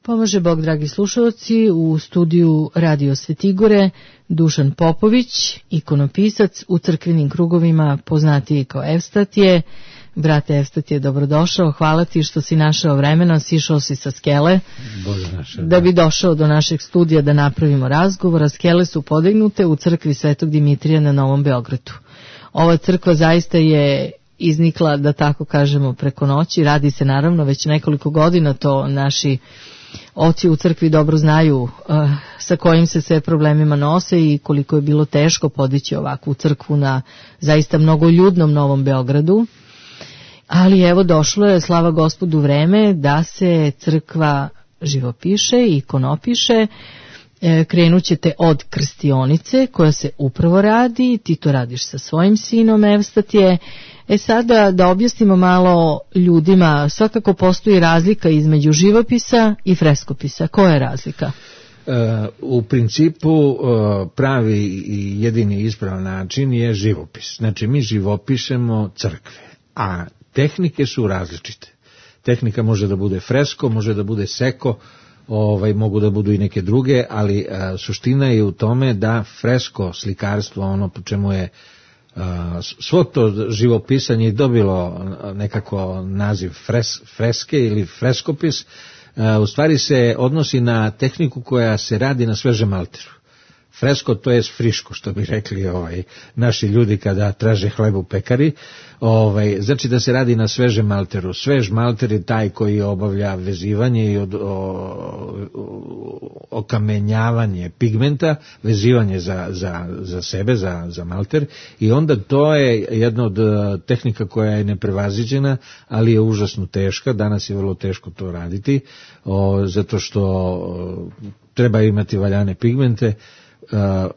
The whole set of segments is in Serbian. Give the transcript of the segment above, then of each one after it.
Pomaže Bog, dragi slušalci, u studiju Radio Svetigore Dušan Popović, ikonopisac, u crkvenim krugovima poznatiji kao Evstatije. Brate Evstatije, dobrodošao, hvala ti što si našao vremena, sišao si sa skele da bi došao do našeg studija da napravimo razgovor, a skele su podignute u crkvi Svetog Dimitrija na Novom Beogradu. Ova crkva zaista je iznikla, da tako kažemo, preko noći, radi se naravno već nekoliko godina, to naši oci u crkvi dobro znaju sa kojim se sve problemima nose i koliko je bilo teško podići ovakvu crkvu na zaista mnogoljudnom Novom Beogradu. Ali evo došlo je, slava Gospodu, vreme da se crkva živopiše i ikonopiše. Krenut ćete od krstionice koja se upravo radi, ti to radiš sa svojim sinom Evstatije. Sada da objasnimo malo ljudima, svakako postoji razlika između živopisa i freskopisa. Koja je razlika? U principu pravi i jedini ispravan način je živopis. Znači mi živopišemo crkve, a tehnike su različite. Tehnika može da bude fresko, može da bude seko, mogu da budu i neke druge, ali suština je u tome da fresko slikarstvo, ono po čemu je svo to živopisanje je dobilo nekako naziv freske ili freskopis, u stvari se odnosi na tehniku koja se radi na svežem malteru. Fresko, to je friško, što bi rekli naši ljudi kada traže hleb u pekari. Znači da se radi na svežem malteru. Svež malter je taj koji obavlja vezivanje i okamenjavanje pigmenta, vezivanje za sebe, za malter, i onda to je jedna od tehnika koja je neprevaziđena, ali je užasno teška. Danas je vrlo teško to raditi, zato što treba imati valjane pigmente,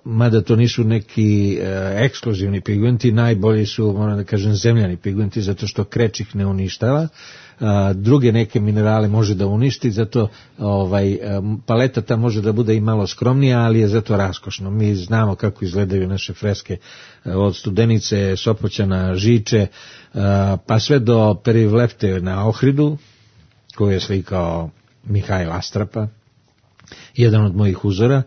mada to nisu neki ekskluzivni pigmenti, najbolji su, moram da kažem, zemljani pigmenti, zato što kreč ih ne uništava. Druge neke minerale može da uništi, zato paleta ta može da bude i malo skromnija, ali je zato raskošno. Mi znamo kako izgledaju naše freske, od Studenice, Sopoćana, Žiče, pa sve do Perivlepte na Ohridu, koju je slikao Mihajl Astrapa, jedan od mojih uzora.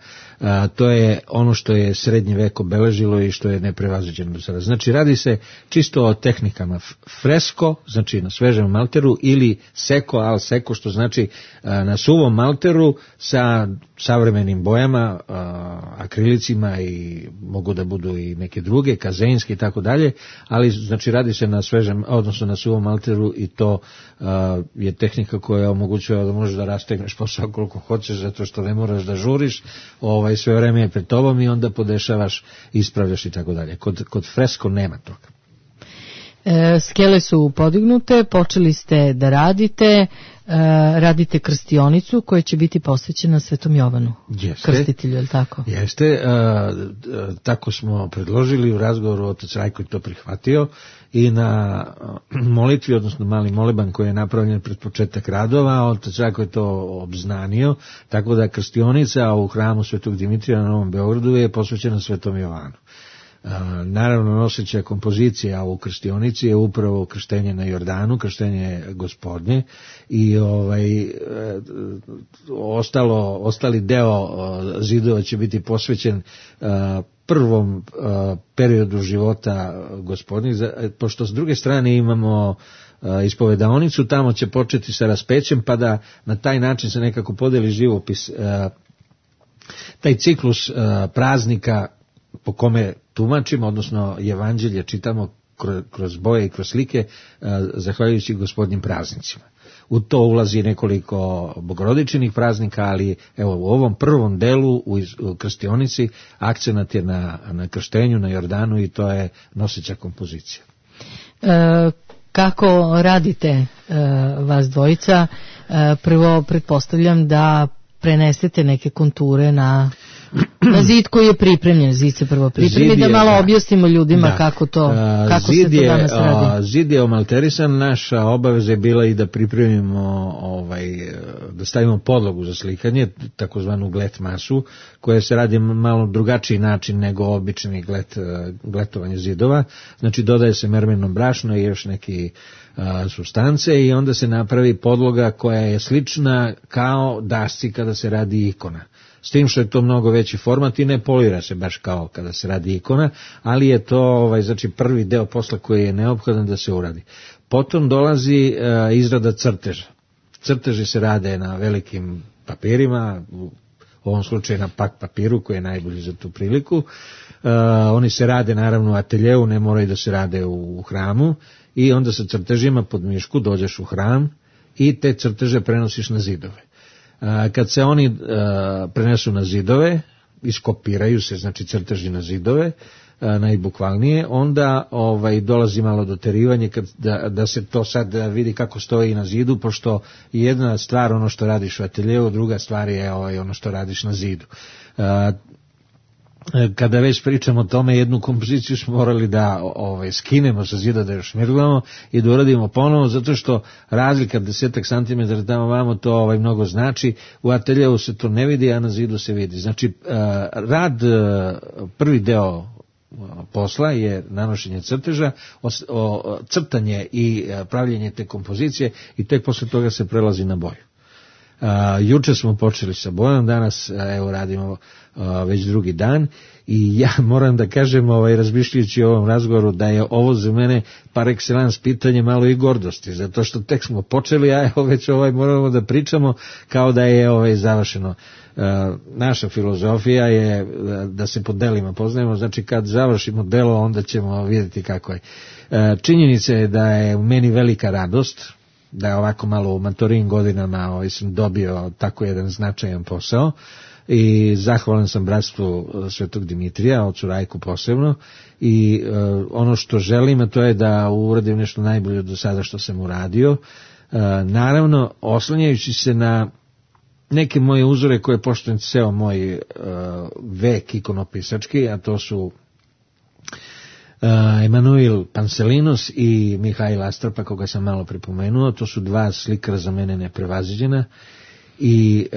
To je ono što je srednji vek obeležilo i što je neprevaziđeno do sada. Znači radi se čisto o tehnikama fresko, znači na svežem malteru, ili seko, al seko, što znači na suvom malteru sa savremenim bojama, akrilicima, i mogu da budu i neke druge, kazeinske i tako dalje, ali znači radi se na svežem, odnosno na suvom malteru, i to je tehnika koja omogućuje da možeš da rastegneš posao koliko hoćeš, zato što ne moraš da žuriš, sve vreme je pred tobom i onda podešavaš, ispravljaš i tako dalje. Kod fresko nema toga. Skele su podignute, počeli ste da radite krstionicu koja će biti posvećena Svetom Jovanu. Jeste, krstitelju, je li tako? Jeste, tako smo predložili u razgovoru, otac Rajko je to prihvatio, i na molitvi, odnosno mali moleban koji je napravljen pred početak radova, otac Rajko je to obznanio, tako da krstionica u hramu Svetog Dimitrija na Novom Beogradu je posvećena Svetom Jovanu. Naravno, noseća kompozicija u krstionici je upravo krštenje na Jordanu, krštenje Gospodnje, i ostali deo zidova će biti posvećen prvom periodu života Gospodnjih, pošto s druge strane imamo ispovedaonicu, tamo će početi sa raspećem, pa da na taj način se nekako podeli živopis, taj ciklus praznika po kome tumačimo, odnosno evanđelje čitamo kroz boje i kroz slike, zahvaljujući Gospodnjim praznicima. U to ulazi nekoliko bogorodičinih praznika, ali evo u ovom prvom delu u krstionici akcenat je na krštenju, na Jordanu, i to je noseća kompozicija. Kako radite vas dvojica? Prvo pretpostavljam da prenesete neke konture na Na zid koji je pripremljen, zid se prvo pripremi, da malo objasnimo ljudima kako se to danas radi. Zid je omalterisan, naša obaveza je bila i da pripremimo, da stavimo podlogu za slikanje, takozvanu glet masu, koja se radi malo drugačiji način nego obični gletovanje zidova, znači dodaje se mermerno brašno i još neki supstance i onda se napravi podloga koja je slična kao dasci kada se radi ikona. S tim što je to mnogo veći format i ne polira se baš kao kada se radi ikona, ali je to znači prvi deo posla koji je neophodan da se uradi. Potom dolazi izrada crteža. Crteži se rade na velikim papirima, u ovom slučaju na pak papiru koji je najbolji za tu priliku. Oni se rade naravno u ateljeu, ne moraju da se rade u hramu i onda sa crtežima pod mišku dođeš u hram i te crteže prenosiš na zidove. Kad se oni prenesu na zidove, iskopiraju se, znači crteži na zidove, najbukvalnije, onda dolazi malo doterivanje da se to sad vidi kako stoji na zidu, pošto jedna stvar ono što radiš u ateljeu, druga stvar je ono što radiš na zidu. Kada već pričamo o tome, jednu kompoziciju smo morali da skinemo sa zida, da još šmirglamo i da uradimo ponovo, zato što razlika 10 cm tamo vamo to mnogo znači, u ateljeu se to ne vidi, a na zidu se vidi. Znači, prvi deo posla je nanošenje crteža, crtanje i pravljenje te kompozicije i tek posle toga se prelazi na boju. Juče smo počeli sa bojom, danas evo radimo već drugi dan i ja moram da kažem, razmišljajući o ovom razgovoru, da je ovo za mene par excellence pitanje malo i gordosti, zato što tek smo počeli, a evo već moramo da pričamo kao da je završeno. Naša filozofija je da se po delima poznajemo, znači kad završimo delo onda ćemo vidjeti kako je. Činjenica je da je u meni velika radost, da je ovako malo u maturim godinama sam dobio tako jedan značajan posao i zahvalan sam bratstvu Svetog Dimitrija, ocu Rajku posebno, i ono što želim, a to je da uradim nešto najbolje do sada što sam uradio, naravno oslanjajući se na neke moje uzore koje poštujem ceo moj vek ikonopisački, a to su Emanuil Panselinos i Mihail Astrapa, koga sam malo pripomenuo. To su dva slikara za mene neprevaziđena i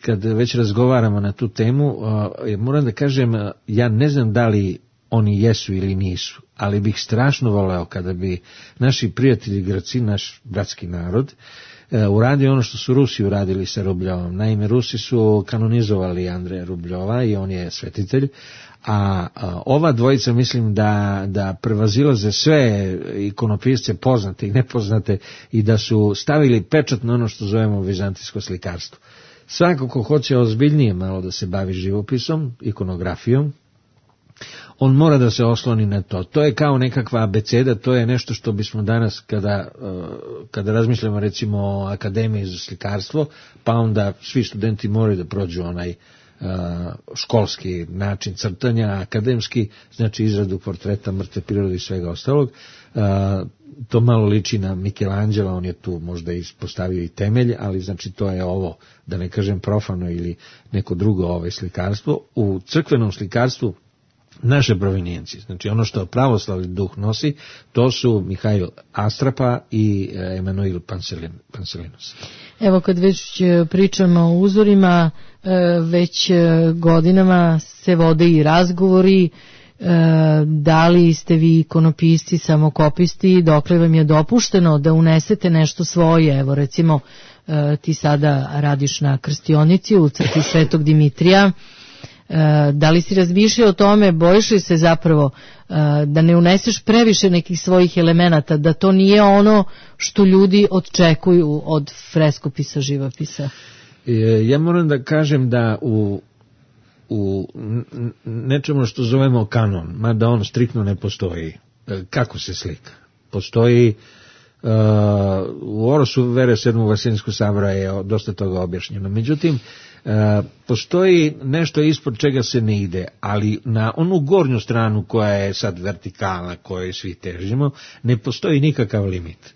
kad već razgovaramo na tu temu, moram da kažem, ja ne znam da li oni jesu ili nisu, ali bih strašno voleo kada bi naši prijatelji Grci, naš bratski narod, uradio ono što su Rusi uradili sa Rubljovom. Naime, Rusi su kanonizovali Andreja Rubljova i on je svetitelj, a ova dvojica mislim da prevazilaze sve ikonopisce poznate i nepoznate i da su stavili pečat na ono što zovemo vizantijsko slikarstvo. Svako ko hoće ozbiljnije malo da se bavi živopisom, ikonografijom, on mora da se osloni na to. To je kao nekakva abeceda, to je nešto što bismo danas, kada razmišljamo recimo o akademiji za slikarstvo, pa onda svi studenti moraju da prođu onaj školski način crtanja, akademski, znači izradu portreta, mrtve prirode i svega ostalog. To malo liči na Michelangelo, on je tu možda ispostavio i temelj, ali znači to je ovo, da ne kažem profano ili neko drugo slikarstvo. U crkvenom slikarstvu naše provenijencije, znači ono što pravoslavni duh nosi, to su Mihail Astrapa i Emanuil Panselinos. Evo kad već pričamo o uzorima, već godinama se vode i razgovori, da li ste vi ikonopisci, samokopisti, dokle vam je dopušteno da unesete nešto svoje. Evo recimo ti sada radiš na krstionici u crkvi Svetog Dimitrija. Da li si razmišljao o tome, bojiš li se zapravo da ne uneseš previše nekih svojih elemenata, da to nije ono što ljudi očekuju od freskopisa, živopisa? Ja moram da kažem da u nečemu što zovemo kanon, mada on striktno ne postoji, kako se slika. Postoji u Orosu vere 7. Vaseljenskog sabora je dosta toga objašnjeno. Međutim, postoji nešto ispod čega se ne ide, ali na onu gornju stranu koja je sad vertikala, kojoj svi težimo, ne postoji nikakav limit.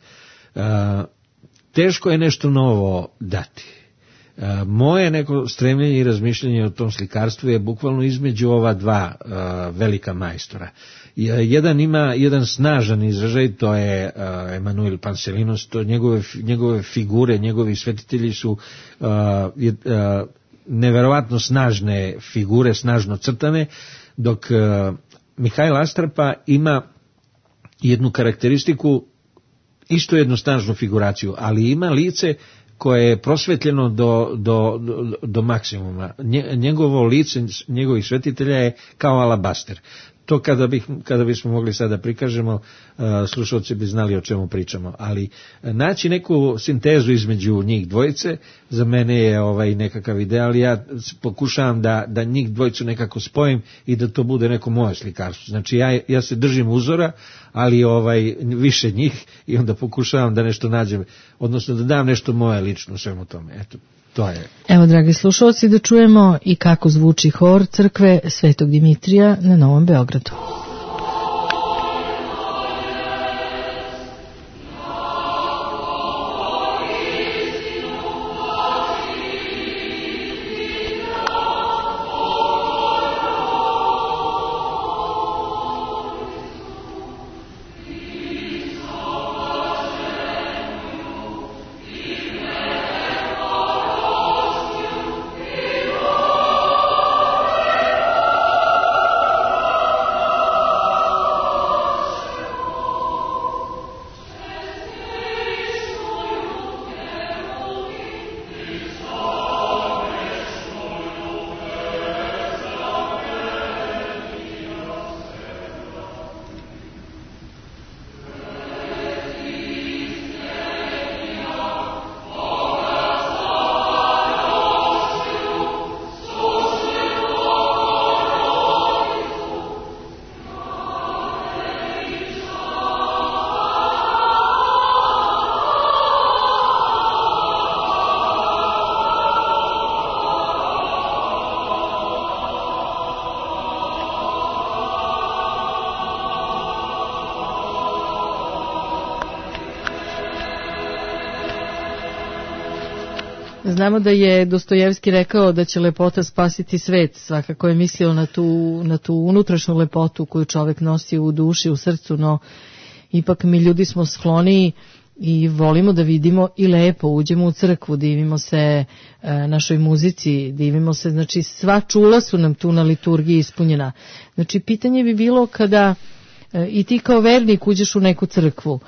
Teško je nešto novo dati. Moje neko stremljenje i razmišljanje o tom slikarstvu je bukvalno između ova dva velika majstora. Jedan ima jedan snažan izražaj, to je Emanuel Panselinos, to njegove figure, njegovi svetitelji su neverovatno snažne figure, snažno crtane, dok Mihajl Astrapa ima jednu karakteristiku, isto jednu snažnu figuraciju, ali ima lice koje je prosvetljeno do maksimuma. Njegovo lice, njegovih svetitelja je kao alabaster. To kada bismo mogli sada prikažemo, slušalci bi znali o čemu pričamo, ali naći neku sintezu između njih dvojice za mene je nekakav ideal. Ja pokušavam da njih dvojicu nekako spojim i da to bude neko moje slikarstvo. Znači ja se držim uzora, ali više njih, i onda pokušavam da nešto nađem, odnosno da dam nešto moje lično svemu tome. Eto, to je. Evo, dragi slušalci, da čujemo i kako zvuči hor crkve Svetog Dimitrija na Novom Beogradu. Znamo da je Dostojevski rekao da će lepota spasiti svet, svakako je mislio na tu unutrašnju lepotu koju čovjek nosi u duši, u srcu, no ipak mi ljudi smo skloniji i volimo da vidimo i lepo, uđemo u crkvu, divimo se našoj muzici, divimo se, znači sva čula su nam tu na liturgiji ispunjena. Znači pitanje bi bilo kada i ti kao vernik uđeš u neku crkvu,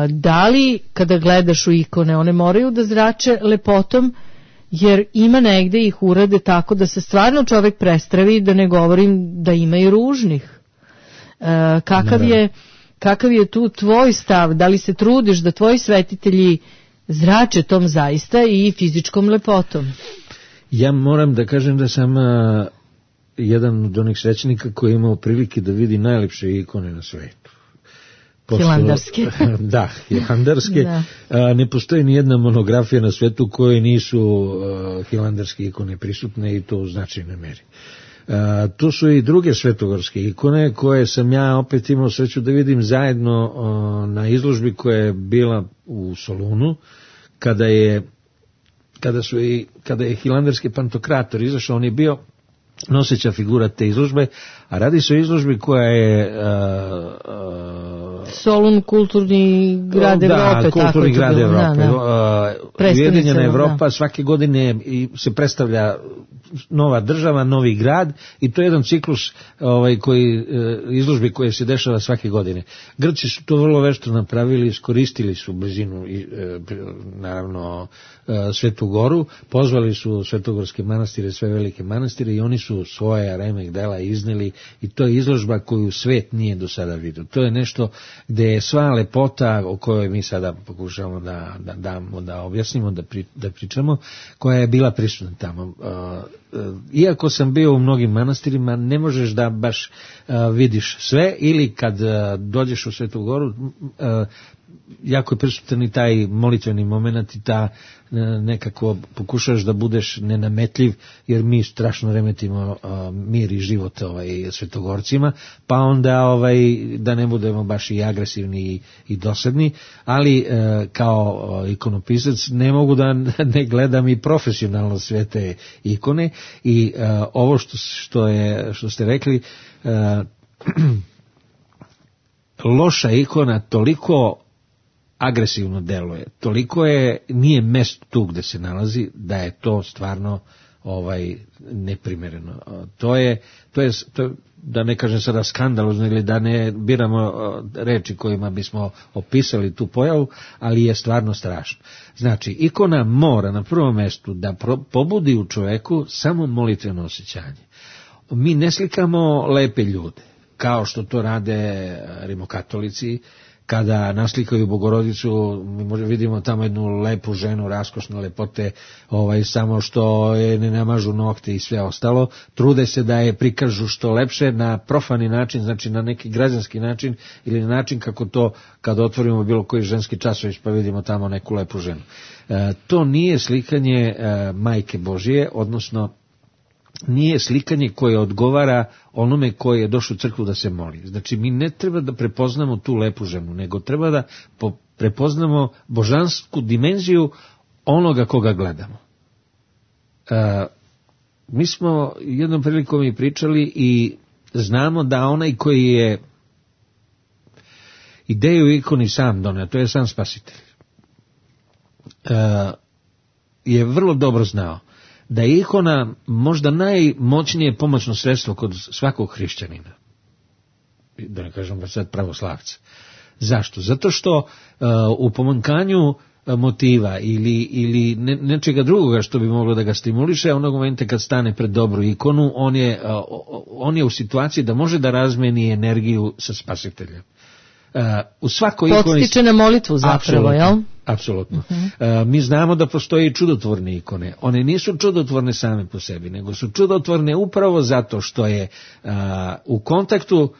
da li kada gledaš u ikone one moraju da zrače lepotom, jer ima negde ih urade tako da se stvarno čovjek prestravi, da ne govorim da ima i ružnih. Kakav je tu tvoj stav, da li se trudiš da tvoji svetitelji zrače tom zaista i fizičkom lepotom? Ja moram da kažem da sam jedan od onih svećenika koji je imao prilike da vidi najlepše ikone na svetu. Hilandarske. Da, hilandarske. Da. Ne postoji ni jedna monografija na svetu koje nisu hilandarske ikone prisutne, i to u značajnoj meri. Tu su i druge svetogorske ikone koje sam ja opet imao sreću da vidim zajedno na izložbi koja je bila u Solunu, kada je hilandarski pantokrator izašao. On je bio noseća figura te izložbe, a radi se o izložbi koja je Solun, kulturni grad Evrope. Da, kulturni grad Evrope. Ujedinjena Evropa, da. Svake godine se predstavlja nova država, novi grad, i to je jedan ciklus izložbi koje se dešava svake godine. Grci su to vrlo vešto napravili, iskoristili su blizinu naravno Svetu Goru, pozvali su svetogorske manastire, sve velike manastire, i oni su svoje remek dela izneli, i to je izložba koju svet nije do sada vidio. To je nešto gde je sva lepota o kojoj mi sada pokušavamo da objasnimo, da pričamo, koja je bila prisutna tamo. Iako sam bio u mnogim manastirima, ne možeš da baš vidiš sve, ili kad dođeš u Svetu Goru, jako je prisutan i taj molitveni moment i ta nekako pokušaš da budeš nenametljiv, jer mi strašno remetimo mir i život svetogorcima, pa onda da ne budemo baš i agresivni i dosadni, ali kao ikonopisac ne mogu da ne gledam i profesionalno sve te ikone i ovo što ste rekli, loša ikona toliko agresivno deluje, toliko nije mesto tu gde se nalazi, da je to stvarno neprimereno. To je, da ne kažem sada skandalozno, ili da ne biramo reči kojima bismo opisali tu pojavu, ali je stvarno strašno. Znači, ikona mora na prvom mestu da pobudi u čoveku samo molitveno osjećanje. Mi ne slikamo lepe ljude, kao što to rade rimokatolici, kada naslikaju Bogorodicu, mi vidimo tamo jednu lepu ženu, raskošne lepote, samo što je ne namažu nokte i sve ostalo, trude se da je prikažu što lepše na profani način, znači na neki građanski način ili na način kako to kad otvorimo bilo koji ženski časopis pa vidimo tamo neku lepu ženu. To nije slikanje Majke Božije, odnosno nije slikanje koje odgovara onome koji je došao u crkvu da se moli. Znači, mi ne treba da prepoznamo tu lepu ženu, nego treba da prepoznamo božansku dimenziju onoga koga gledamo. Mi smo jednom prilikom i pričali i znamo da onaj koji je ideju ikoni sam doneo, to je sam Spasitelj, je vrlo dobro znao da je ikona možda najmoćnije pomoćno sredstvo kod svakog hrišćanina, da ne kažem sad pravoslavca. Zašto? Zato što u pomanjkanju motiva ili nečega drugoga što bi moglo da ga stimuliše, onog momenta kad stane pred dobru ikonu, on je u situaciji da može da razmeni energiju sa Spasiteljem. U svakoj ikoni podstiče na molitvu zapravo, jel? Apsolutno. Mi znamo da postoje i čudotvorne ikone. One nisu čudotvorne same po sebi, nego su čudotvorne upravo zato što je u kontaktu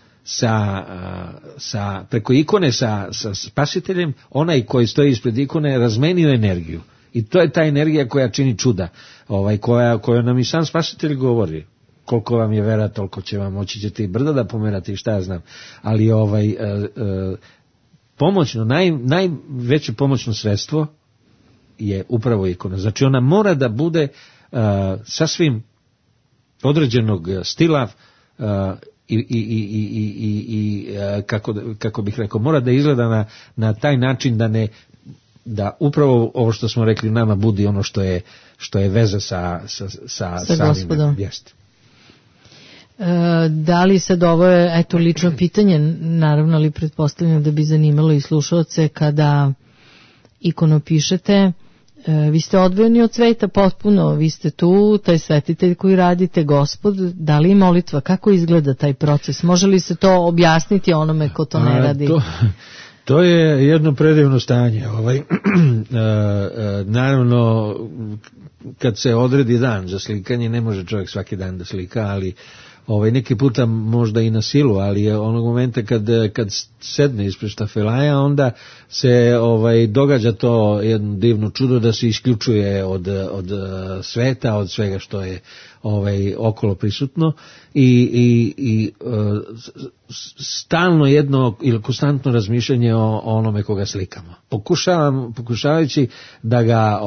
preko ikone sa Spasiteljem, onaj koji stoji ispred ikone razmenio energiju. I to je ta energija koja čini čuda, koja nam i sam Spasitelj govori. Koliko vam je vera, toliko će vam, moći ćete i brda da pomerate i šta ja znam. Ali pomoćno, najveće pomoćno sredstvo je upravo ikona. Znači ona mora da bude sasvim određenog stila i kako bih rekao, mora da izgleda na taj način da upravo ovo što smo rekli nama budi ono što je veza sa Gospodom. Jeste. Da li sad ovo je lično pitanje, naravno, ali pretpostavljam da bi zanimalo i slušaoce, kada ikonopišete, vi ste odvojeni od sveta potpuno, vi ste tu, taj svetitelj koji radite, Gospod, da li je molitva, kako izgleda taj proces, može li se to objasniti onome ko to ne radi? To je jedno predivno stanje. Naravno, kad se odredi dan za slikanje, ne može čovjek svaki dan da slika, ali neki puta možda i na silu, ali je onog momenta kad sedne ispred štafelaja, onda se događa to jedno divno čudo da se isključuje od sveta, od svega što je okolo prisutno i stalno jedno ili konstantno razmišljanje o onome koga slikamo. Pokušavajući da ga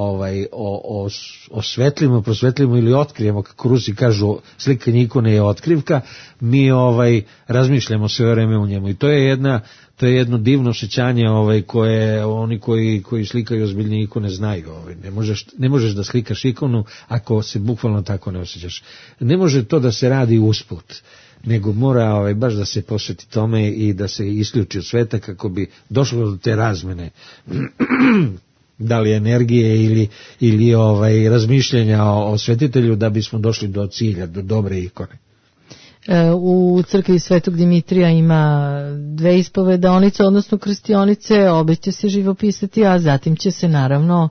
osvetlimo, prosvetlimo ili otkrijemo, kako Rusi kažu, slikanje ikone je otkrivka, mi razmišljamo sve vreme u njemu i to je jedno divno osjećanje koje oni koji slikaju ozbiljne ikone znaju. Ne možeš da slikaš ikonu ako se bukvalno tako ne osjećaš. Ne može to da se radi usput, nego mora baš da se posveti tome i da se isključi od sveta kako bi došlo do te razmene da li energije ili razmišljenja o svetitelju da bismo došli do cilja, do dobre ikone. U crkvi Svetog Dimitrija ima 2 ispovedaonice, odnosno krstionice, obe će se živopisati, a zatim će se naravno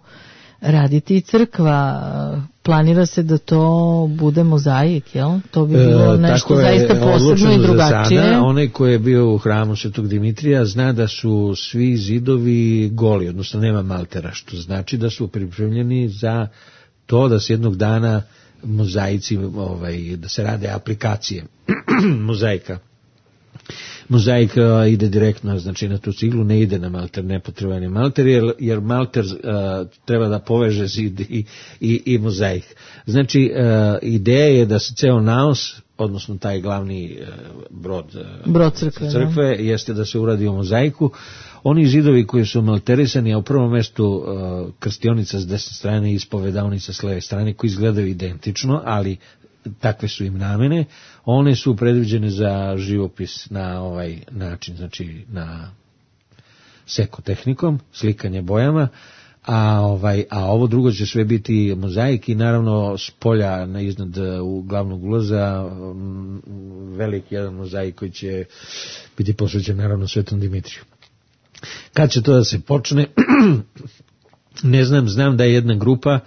raditi i crkva. Planira se da to bude mozaik, jel? To bi bilo nešto zaista posebno i drugačije. Sada, onaj ko je bio u hramu Svetog Dimitrija zna da su svi zidovi goli, odnosno nema maltera, što znači da su pripremljeni za to da se jednog dana mozaici, da se rade aplikacije mozaika. Mozaik ide direktno, znači na tu ciglu, ne ide na malter, nepotreban je malter, jer malter treba da poveže zid i mozaik. Znači, ideja je da se ceo naos, odnosno taj glavni brod crkve, jeste da se uradi u mozaiku. Oni zidovi koji su malterisani, a u prvom mestu krstionica s desne strane i ispovedavnica s leve strane, koji izgledaju identično, ali takve su im namene, one su predviđene za živopis na ovaj način, znači na sekotehnikom, slikanje bojama, a ovo drugo će sve biti mozaik i naravno s polja iznad glavnog ulaza veliki jedan mozaik koji će biti posvećen naravno Svetom Dimitriju. Kad će to da se počne, ne znam da je jedna grupa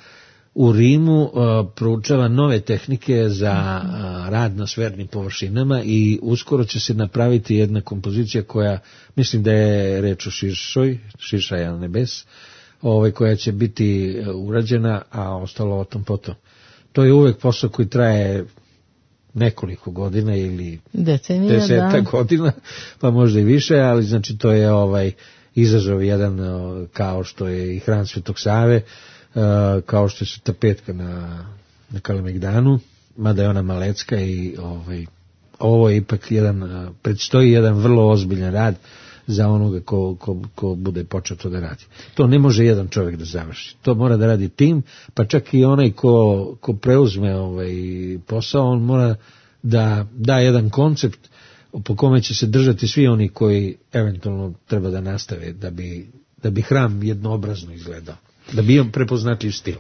u Rimu proučava nove tehnike za rad na sfernim površinama i uskoro će se napraviti jedna kompozicija koja, mislim da je reč o Širšaja nebes, koja će biti urađena, a ostalo o tom potom. To je uvek posao koji traje nekoliko godina ili desetak godina, pa možda i više, ali znači to je izazov jedan kao što je i hram Svetog Save, kao što je Sveta Petka na Kalemegdanu, mada je ona malecka i ovo je ipak predstoji jedan vrlo ozbiljan rad za onoga ko bude počeo to da radi. To ne može jedan čovjek da završi. To mora da radi tim, pa čak i onaj ko preuzme posao, on mora da da jedan koncept po kome će se držati svi oni koji eventualno treba da nastave da bi hram jednoobrazno izgledao, da bi imao prepoznatljiv stil.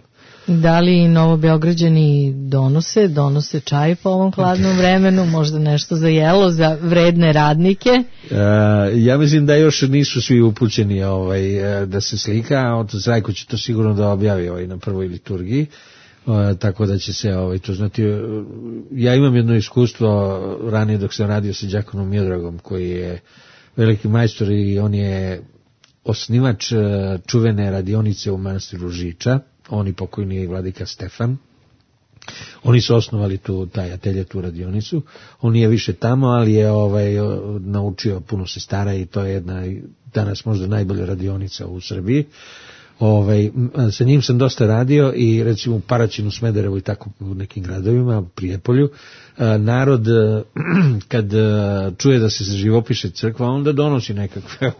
Da li Novobeograđani donose čaj po ovom hladnom vremenu, možda nešto za jelo, za vredne radnike? Ja mislim da još nisu svi upućeni da se slika, otac Rajko će to sigurno da objavi na prvoj liturgiji, tako da će se to znati. Ja imam jedno iskustvo ranije dok sam radio sa đakonom Miodragom, koji je veliki majstor i on je osnivač čuvene radionice u manastiru Žiča, oni pokojni vladika Stefan. Oni su osnovali taj atelje, tu radionicu. On nije više tamo, ali je naučio puno sestara i to je jedna danas možda najbolja radionica u Srbiji. Sa njim sam dosta radio i recimo u Paraćinu, Smederevu i tako u nekim gradovima, Prijepolju, narod kad čuje da se živopiše crkva, onda donosi nekakve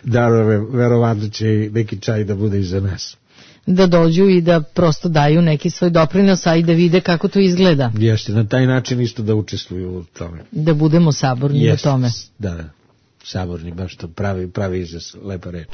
darove, verovatno će neki čaj da bude i za nas. Da dođu i da prosto daju neki svoj doprinos, a i da vide kako to izgleda. Jeste, na taj način isto da učestvuju u tome. Da budemo saborni u tome. Da, saborni, baš to pravi izraz, lepa reč.